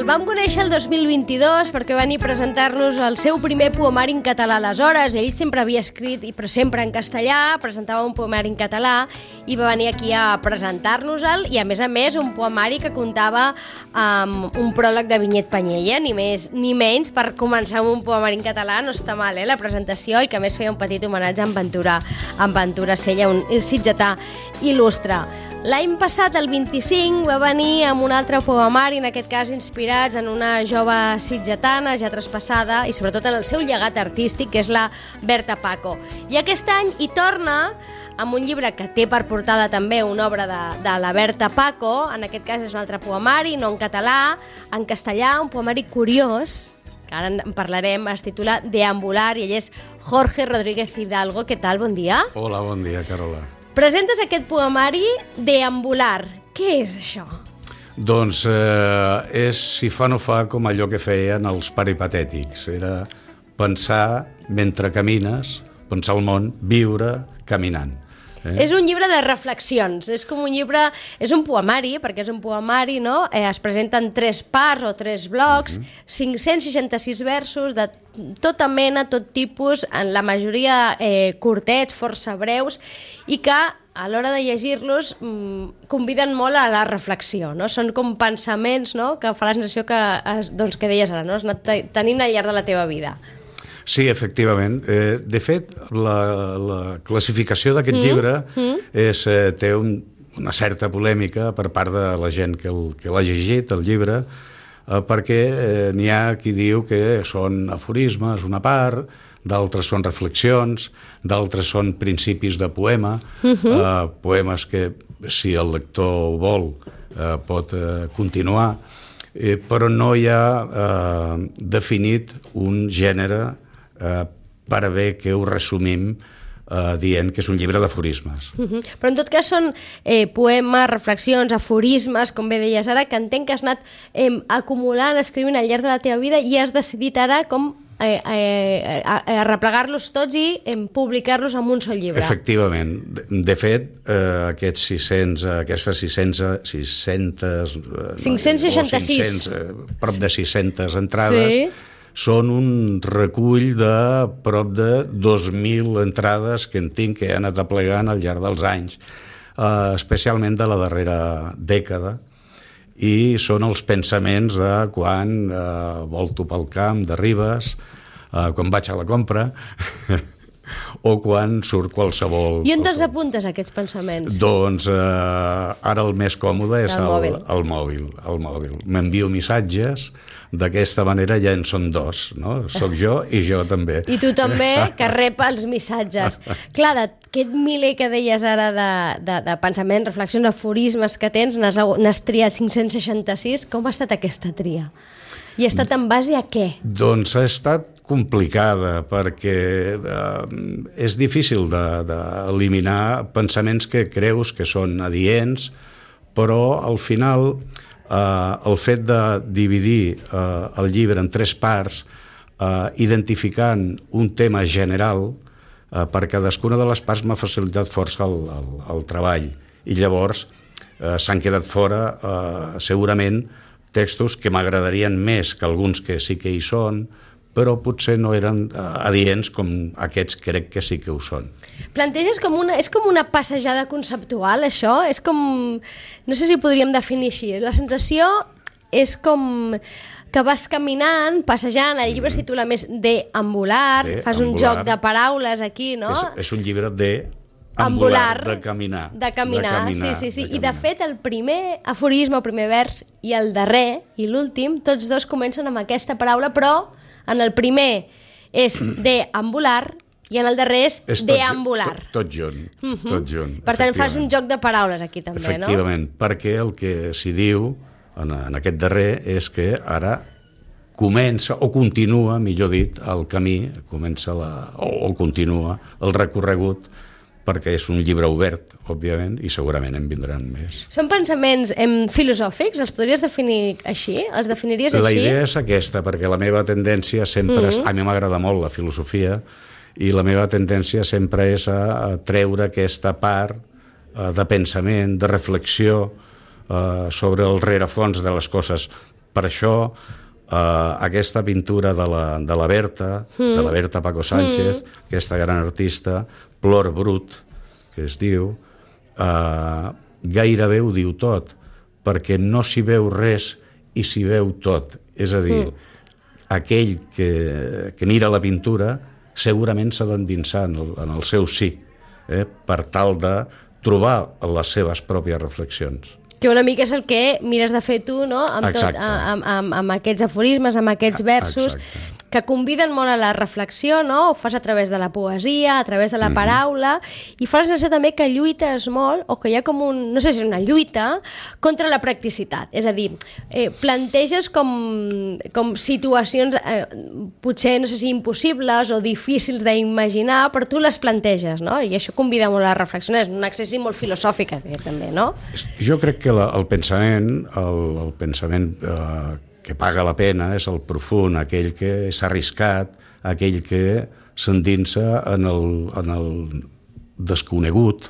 vam conèixer el 2022 perquè va venir a presentar-nos el seu primer poemari en català. Aleshores, ell sempre havia escrit, però sempre en castellà, presentava un poemari en català i va venir aquí a presentar-nos-el, i a més un poemari que comptava amb un pròleg de Vinyet Penyella, ni més ni menys. Per començar amb un poemari en català no està mal, la presentació, i que a més feia un petit homenatge a en Ventura Sella, un sitgetà il·lustre. L'any passat, el 25, va venir amb un altre poemari, en aquest cas inspirats en una jove sitgetana ja traspassada i sobretot en el seu llegat artístic, que és la Berta Paco. I aquest any hi torna amb un llibre que té per portada també una obra de la Berta Paco. En aquest cas és un altre poemari, no en català, en castellà, un poemari curiós, que ara en parlarem, es titula Deambular, i ell és Jorge Rodríguez Hidalgo. Què tal? Bon dia. Hola, bon dia, Carola. Presentes aquest poemari, Deambular. Què és això? Doncs és, si fa no fa, com allò que feien els peripatètics. Era pensar mentre camines, pensar el món, viure caminant. És un llibre de reflexions, és com un llibre, és un poemari, perquè és un poemari, no? Es presenten 3 parts o 3 blocs, 566 versos de tota mena, tot tipus, en la majoria curtets, força breus, i que a l'hora de llegir-los conviden molt a la reflexió, no? Són com pensaments, no?, que fa la sensació que deies ara, no? Has anat tenint al llarg de la teva vida. Sí, efectivament. De fet, la classificació d'aquest llibre té una certa polèmica per part de la gent que l'ha llegit, el llibre, perquè n'hi ha qui diu que són aforismes, una part, d'altres són reflexions, d'altres són principis de poema, poemes que, si el lector vol, pot continuar, però no hi ha definit un gènere per bé que ho resumim dient que és un llibre d'aforismes. Però en tot cas són poemes, reflexions, aforismes, com bé deies ara, que entenc que has anat acumulant, escrivint al llarg de la teva vida, i has decidit ara com arreplegar-los tots i publicar-los en un sol llibre. Efectivament. De fet, aquestes 566 prop de 600 entrades són un recull de prop de 2.000 entrades que en tinc, que he anat aplegant al llarg dels anys, especialment de la darrera dècada, i són els pensaments de quan volto pel camp de Ribes, quan vaig a la compra, o quan surt qualsevol... I on te'ls apuntes, aquests pensaments? Doncs ara el més còmode és el mòbil. M'envio missatges, d'aquesta manera ja en són 2, no? Soc jo i jo també. I tu també, que rep els missatges. Clar, d'aquest miler que deies ara de pensaments, reflexions, aforismes que tens, n'has triat 566. Com ha estat aquesta tria? I ha estat en base a què? Doncs ha estat complicada, perquè és difícil d'eliminar pensaments que creus que són adients, però al final el fet de dividir el llibre en 3 parts, identificant un tema general, per cadascuna de les parts m'ha facilitat força el treball, i llavors s'han quedat fora segurament textos que m'agradarien més que alguns que sí que hi són, però potser no eren adients com aquests crec que sí que ho són. Planteges és com una passejada conceptual, això? És com... No sé si ho podríem definir així. La sensació és com que vas caminant, passejant, el llibre es titula més Deambular, fas un joc de paraules aquí, no? És un llibre de... Ambular, de caminar. De caminar, sí. I de fet el primer aforisme, el primer vers, i el darrer, i l'últim, tots dos comencen amb aquesta paraula, però en el primer és deambular i en el darrer és deambular. Tot junt. Per tant, fas un joc de paraules aquí també, no? Efectivament, perquè el que s'hi diu en aquest darrer és que ara comença, o continua, millor dit, el camí, o continua el recorregut, perquè és un llibre obert, òbviament, i segurament en vindran més. Són pensaments filosòfics? Els podries definir així? Els definiries així? La idea és aquesta, perquè la meva tendència sempre és... A mi m'agrada molt la filosofia, i la meva tendència sempre és a treure aquesta part de pensament, de reflexió sobre el rerefons de les coses. Per això, aquesta pintura de la Berta, de la Berta Paco Sánchez, aquesta gran artista, Plor Brut, que es diu, gairebé ho diu tot, perquè no s'hi veu res i s'hi veu tot. És a dir, aquell que mira la pintura segurament s'ha d'endinsar en el seu sí, per tal de trobar les seves pròpies reflexions. Que una mica és el que mires de fer tu, no? Amb aquests aforismes, amb aquests versos, que conviden molt a la reflexió, no? Ho fas a través de la poesia, a través de la paraula, i fa la sensació també que lluites molt, o que hi ha com no sé si és una lluita, contra la practicitat. És a dir, planteges com situacions potser, no sé si impossibles o difícils d'imaginar, però tu les planteges, no? I això convida molt a reflexionar. És un accessi molt filosòfic, també, no? Jo crec que el pensament, el pensament que paga la pena és el profund, aquell que s'ha arriscat, aquell que s'endinsa en el desconegut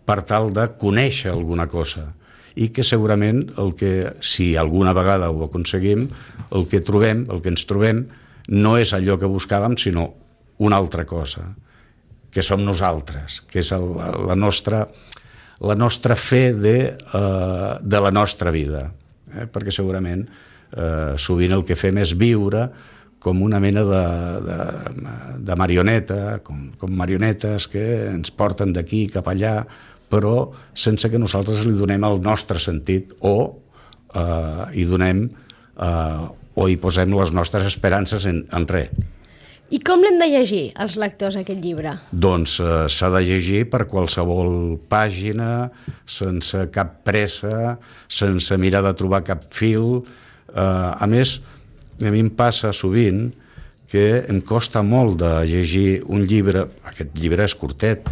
per tal de conèixer alguna cosa, i que segurament si alguna vegada ho aconseguim, el que ens trobem no és allò que buscàvem, sinó una altra cosa, que som nosaltres, que és la nostra fe de la nostra vida, perquè segurament sovint el que fem és viure com una mena de marioneta, com marionetes que ens porten d'aquí cap allà, però sense que nosaltres li donem el nostre sentit o hi posem les nostres esperances en res. I com l'hem de llegir, els lectors, aquest llibre? Doncs s'ha de llegir per qualsevol pàgina, sense cap pressa, sense mirar de trobar cap fil. A més, a mi em passa sovint que em costa molt de llegir un llibre, aquest llibre és curtet,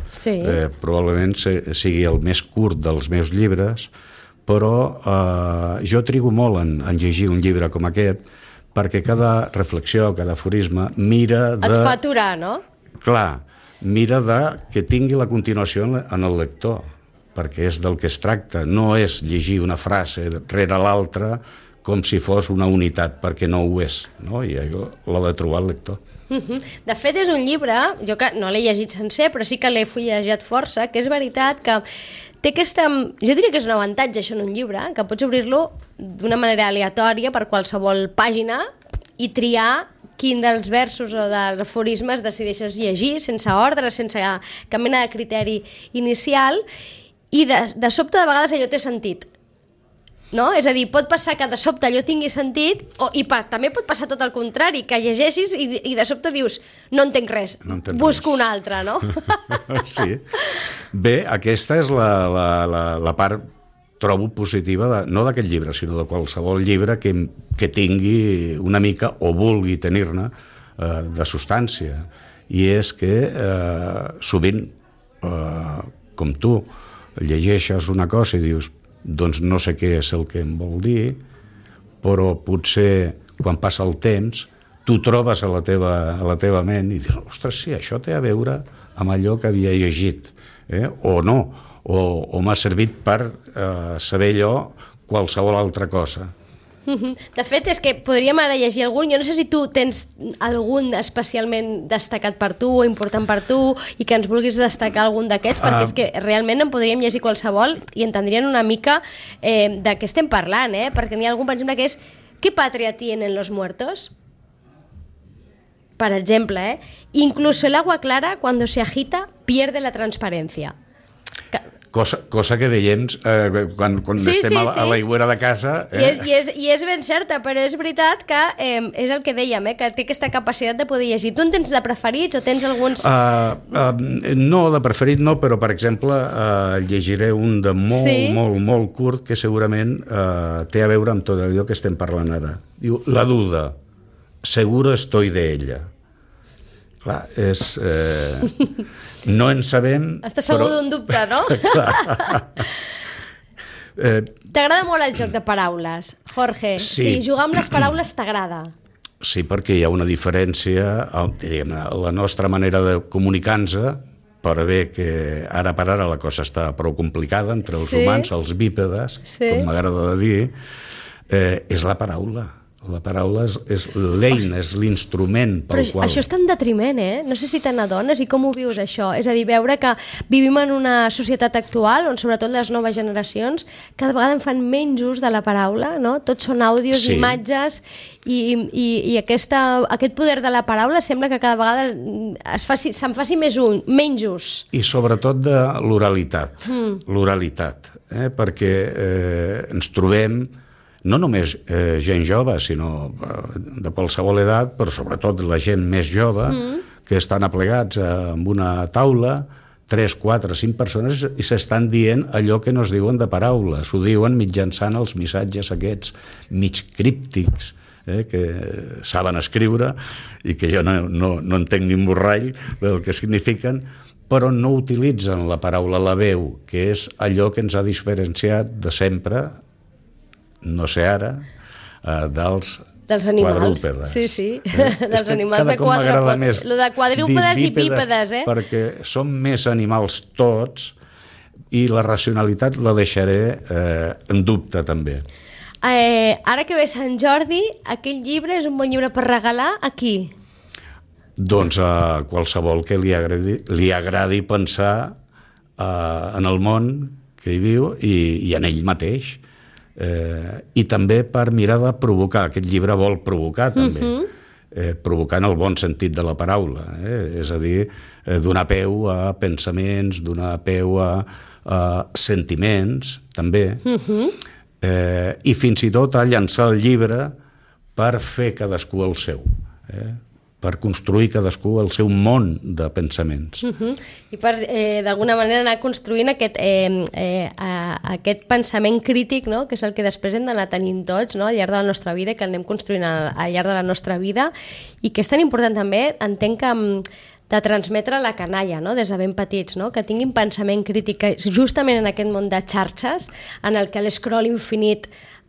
probablement sigui el més curt dels meus llibres, però jo trigo molt en llegir un llibre com aquest, perquè cada reflexió, cada aforisme mira de... Et fa aturar, no? Clar, mira que tingui la continuació en el lector, perquè és del que es tracta, no és llegir una frase rere l'altra com si fos una unitat, perquè no ho és, no? I allò l'ha de trobar el lector. De fet, és un llibre, jo que no l'he llegit sencer, però sí que l'he fullejat força, que és veritat que té aquesta... Jo diria que és un avantatge, això, en un llibre, que pots obrir-lo d'una manera aleatòria per qualsevol pàgina i triar quin dels versos o dels aforismes decideixes llegir, sense ordre, sense cap mena de criteri inicial, i de sobte, de vegades, allò té sentit. No? És a dir, pot passar que de sobte allò tingui sentit i també pot passar tot el contrari, que llegeixis i de sobte dius no entenc res, busco un altre, no? Sí. Bé, aquesta és la part, trobo, positiva, no d'aquest llibre, sinó de qualsevol llibre que tingui una mica, o vulgui tenir-ne, de substància. I és que sovint, com tu, llegeixes una cosa i dius doncs no sé què és el que em vol dir, però potser quan passa el temps tu trobes a la teva ment i dius, ostres, sí, això té a veure amb allò que havia llegit, o no, o m'ha servit per saber allò qualsevol altra cosa. De fet, és que podríem ara llegir algun. Jo no sé si tu tens algun especialment destacat per tu o important per tu i que ens vulguis destacar algun d'aquests, perquè és que realment en podríem llegir qualsevol i entendrien una mica de què estem parlant, perquè n'hi ha algun, per exemple, que és ¿qué patria tienen los muertos? Per exemple, incluso el agua clara cuando se agita pierde la transparencia. Cosa que veiem quan estem a l'aigüera de casa. I és ben certa, però és veritat que és el que dèiem, que té aquesta capacitat de poder llegir. Tu en tens de preferits o tens alguns... No, de preferit no, però per exemple llegiré un de molt curt que segurament té a veure amb tot allò que estem parlant ara. Diu, la duda, seguro estoy de ella. Clar, és... No en sabem... Estàs segur d'un dubte, no? T'agrada molt el joc de paraules, Jorge. Sí, jugar amb les paraules t'agrada. Sí, perquè hi ha una diferència, diguem, la nostra manera de comunicar-nos, per bé que ara per ara la cosa està prou complicada entre els humans, els bípedes, com m'agrada de dir, és la paraula. La paraula és l'eina, és l'instrument pel qual... Però això està en detriment, No sé si te n'adones i com ho vius, això. És a dir, veure que vivim en una societat actual on sobretot les noves generacions cada vegada en fan menys ús de la paraula, no? Tots són àudios, imatges i aquest poder de la paraula sembla que cada vegada se'n faci menys ús. I sobretot de l'oralitat. L'oralitat, perquè ens trobem no només gent jove, sinó de qualsevol edat, però sobretot la gent més jove, que estan aplegats en una taula, 3, 4, 5 persones, i s'estan dient allò que no es diuen de paraula. S'ho diuen mitjançant els missatges aquests mig críptics, que saben escriure i que jo no entenc ni un borrall del que signifiquen, però no utilitzen la paraula, la veu, que és allò que ens ha diferenciat de sempre, no sé ara, dels animals, quadrúpedes. Sí. Dels animals de quatre potes. Lo de quadrúpedes i bípedes, Perquè són més animals tots i la racionalitat la deixaré en dubte, també. Ara que ve Sant Jordi, aquell llibre és un bon llibre per regalar a qui? Doncs a qualsevol que li agradi pensar en el món que hi viu i en ell mateix. I també per mirar de provocar. Aquest llibre vol provocar també, provocar en el bon sentit de la paraula, és a dir, donar peu a pensaments, donar peu a sentiments també, i fins i tot a llançar el llibre per fer cadascú el seu, per construir cadascú el seu món de pensaments. I per, d'alguna manera, anar construint aquest pensament crític, no? Que és el que després hem d'anar tenint tots, no? Al llarg de la nostra vida, que anem construint al llarg de la nostra vida, i que és tan important també, entenc que de transmetre la canalla, no? Des de ben petits, no? Que tinguin pensament crític, que justament en aquest món de xarxes, en el que l'escroll infinit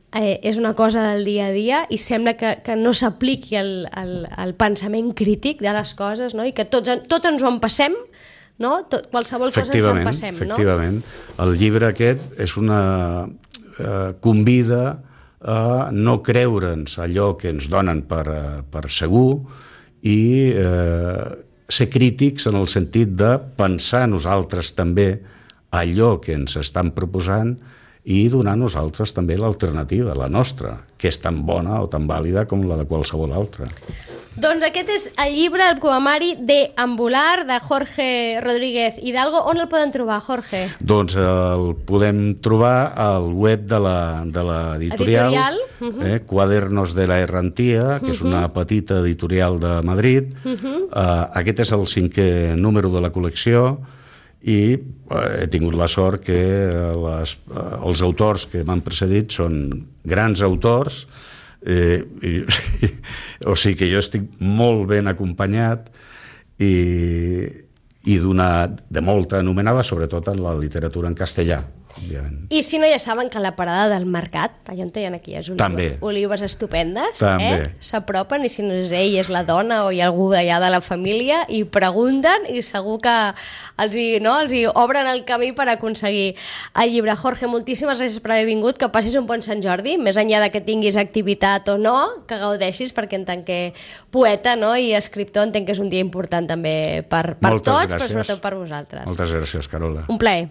és una cosa del dia a dia i sembla que no s'apliqui el pensament crític de les coses, no? I que tots ens ho empassem, no? Qualsevol cosa ens ho empassem, no? Efectivament. El llibre aquest és convida a no creure'ns allò que ens donen per segur i ser crítics en el sentit de pensar nosaltres també allò que ens estan proposant i donar a nosaltres també l'alternativa, la nostra, que és tan bona o tan vàlida com la de qualsevol altra. Doncs aquest és el llibre, el poemari Deambular, de Jorge Rodríguez Hidalgo. On el poden trobar, Jorge? Doncs el podem trobar al web de l'editorial, Cuadernos de la Errantía, que és una petita editorial de Madrid. Aquest és el 5è número de la col·lecció, i he tingut la sort que els autors que m'han precedit són grans autors, o sigui que jo estic molt ben acompanyat i de molta anomenada, sobretot en la literatura en castellà, òbviament. I si no, ja saben que a la parada del mercat, allà on hi ha aquí olives estupendes, s'apropen, i si no és ell, és la dona o hi ha algú d'allà de la família, i pregunten, i segur que els hi obren el camí per aconseguir el llibre. Jorge, moltíssimes gràcies per haver vingut, que passis un bon Sant Jordi, més enllà de que tinguis activitat o no, que gaudeixis, perquè en tant que poeta, no, i escriptor entenc que és un dia important també per tots, però sobretot per vosaltres. Moltes gràcies, Carola. Un plaer.